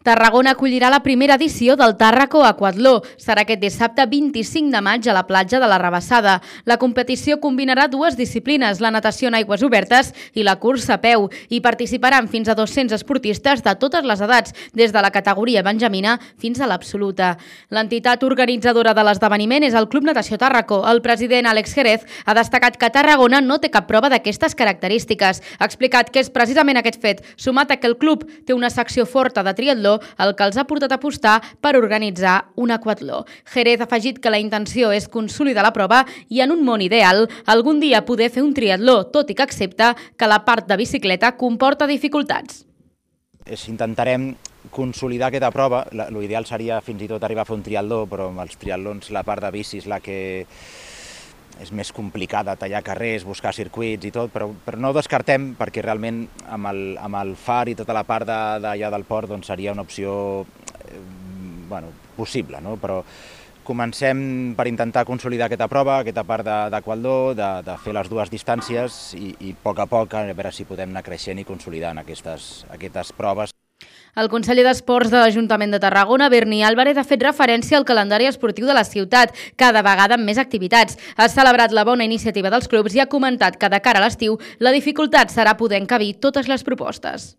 Tarragona acollirà la primera edició del Tàrraco Aquatló. Serà aquest dissabte 25 de maig a la platja de la Rabassada. La competició combinarà dues disciplines, la natació en aigües obertes i la cursa a peu. Hi participaran fins a 200 esportistes de totes les edats, des de la categoria benjamina fins a l'absoluta. L'entitat organitzadora de l'esdeveniment és el Club Natació Tàrraco. El president Àlex Jerez ha destacat que Tarragona no té cap prova d'aquestes característiques. Ha explicat que és precisament aquest fet, sumat a que el club té una secció forta de triatló, el que els ha portat a apostar per organitzar un aquatló. Jerez ha afegit que la intenció és consolidar la prova i, en un món ideal, algun dia poder fer un triatló, tot i que accepta que la part de bicicleta comporta dificultats. Intentarem consolidar aquesta prova. L'ideal seria fins i tot arribar a fer un triatló, però amb els triatlons la part de bici és la que és més complicada, tallar carrers, buscar circuits i tot, però no ho descartem perquè realment amb el far i tota la part d'allà del port seria una opció possible, però comencem per intentar consolidar aquesta prova, aquesta part d'aquatló, de fer les dues distàncies i a poc a veure si podem anar creixent i consolidant aquestes proves. El conseller d'Esports de l'Ajuntament de Tarragona, Berni Álvarez, ha fet referència al calendari esportiu de la ciutat, cada vegada amb més activitats. Ha celebrat la bona iniciativa dels clubs i ha comentat que de cara a l'estiu la dificultat serà poder encabir totes les propostes.